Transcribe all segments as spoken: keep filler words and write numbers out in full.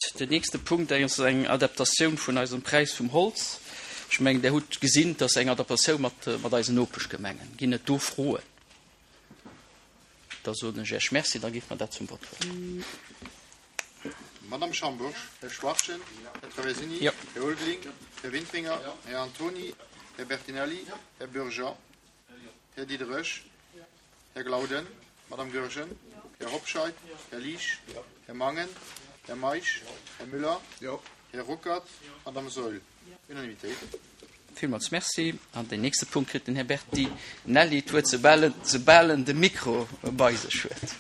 Den nächste Punkt ass eng Adaptatioun vun eisem Präis vum Holz. Ech mengen, Dir hutt gesinn, dass eng Adaptatioun mat, mat eisen Nopeschgemengen. Ginn et do Froen? Da soen ech Iech Merci, da géife mer dat zum Vott huelen. Madame Schambourg, Här Schwachtgen, Här Traversini, Ja. Här Ulveling, Här Wintringer, Här Antoni, Här Bertinelli, Här Bürger, Här Diderich, Här Glauden, Madame Goergen, Här Hobscheit, Här Liesch, Här Mangen, Här Meisch, Här Müller, Här Ruckert, Madame Saeul. Unanimitéit. Villmools Merci. An den nächste Punkt kritt den Här Bertinelli d'Wuert, soubal en, soubal en de Mikro bei sech huet.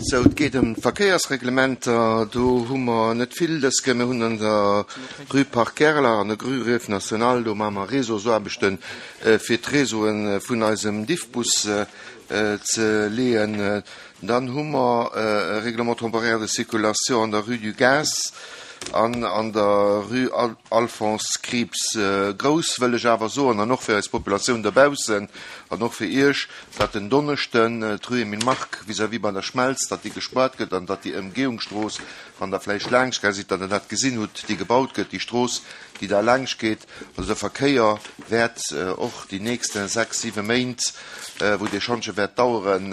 Sou, et geet ëm d'Verkéiersreglementer. Do hu mer net vill dës Kéier. Mir hunn an der Rue Parc Gerlach an der Rue Grève Nationale, do maache mer Réseausaarbechten, fir d'Réseaue vun eisem Diffbus ze leeën. Dann hu mer e Règlement temporaire de circulation an der Rue du Gaz an an der Rue Alphonse Krieps. Grouss wëll ech awer soen, an och fir eis Populatioun dobaussen an och fir Iech, datt den Donneschden d'Rue Emile Mark vis-à-vis bei der Schmelz, datt déi gespaart gëtt an datt déi Ëmgehungsstrooss, wann Der vläicht laanscht gaang sidd, datt Der dat gesinn hutt, déi gebaut gëtt, déi Strooss, déi da laanscht geet. Also de Verkéier wäert och déi nächste sechs, siwe Méint, wou dee Schantje wäert daueren,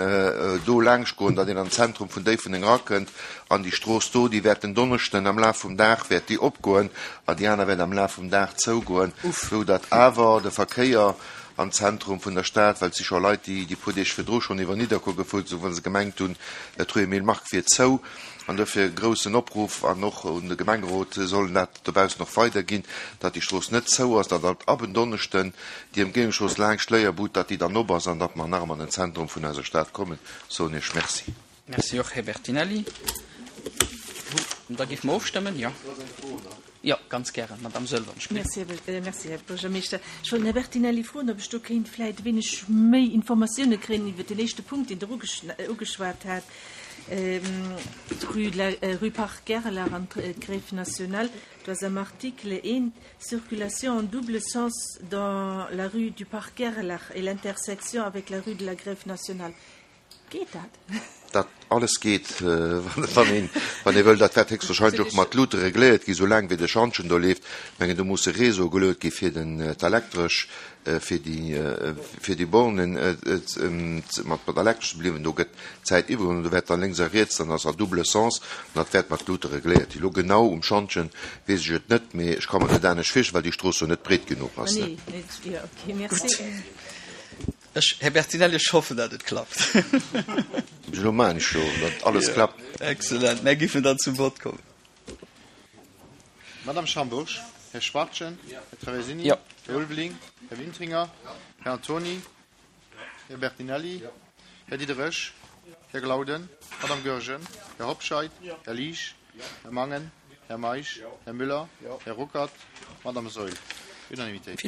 do laanscht goen, datt een an d'Zentrum vun Déifferdeng erakënnt. An déi Strooss do, déi wäert den Donneschden am Laf vum Dag wäert déi opgoen an déi aner wäert am Laf vum Dag zougoen, sou datt awer de Verkéier am Zentrum vun der Stad, well et si scho Leit, déi déi puer Deeg virdru schonn iwwer Nidderkuer gefuer sinn, well se gemengt hunn, d'Rue Emile Mark wier zou. An dofir e groussen Opruff an och un de Gemengerot, sollen dat dobaussen och weiderginn, datt déi Strooss net zou ass, datt ab en Donneschden déi Ëmgehungsstrooss laanscht d'Léierbud, datt déi dann op ass an datt mer nach ëmmer an den Zentrum vun eiser Stad kommen. Soen Iech Merci. Merci och, Här Bertinelli. Da géife mer ofstëmmen, jo. Jo, ganz gären, Madame Saeul. Merci, merci, Här Buergermeeschter. Ech wollt den Här Bertinelli froen, ob ech do kéint vläicht e wéineg méi Informatioune kréien iwwer den éischte Punkt, deen Der ugeschwat hat, d'Rue de la, Rue Parc Gerlach an d'Grève Nationale. Do ass am Article eent, Circulation en double sens dans la rue du Parc Gerlach et l'intersection avec la rue de la Grève Nationale. Geet dat? Dat alles geet, wann een, wann ee wëll. Dat wäert héchstwahrscheinlech och mat Luute regléiert gi, soulaang wéi de Schantjen do leeft. Ech mengen, do musse Réseau geluet gi fir den d'Elektresch, fir déi, fir déi Bornen mat mat Elektresch ze beliewen. Do gëtt d'Zäit iwwergeholl an do wäert dann lénks a riets, dann ass a double sens an dat wäert mat Luute regléiert gi. Elo genau um Schantjen weess ech et net, mee ech ka mer net anescht virstellen, well déi Strooss jo net breet genuch ass. Nee, nee, jo, okay, merci. Ech, Här Bertinelli, ech hoffen, datt et klappt. Elo maachen ech jo, datt alles klappt. Excellent. Mär géifen dann zum Vott kommen. Madame Schambourg, Här Schwachtgen, Här Traversini, Jo. Här Ulveling, Här Wintringer, Här Antoni, Här Bertinelli, Här Diderich, Här Glauden, Madame Goergen, Här Hobscheit, Här Liesch, Här Mangen, Här Meisch, Här Müller, Här Ruckert, Madame Saeul. Unanimitéit.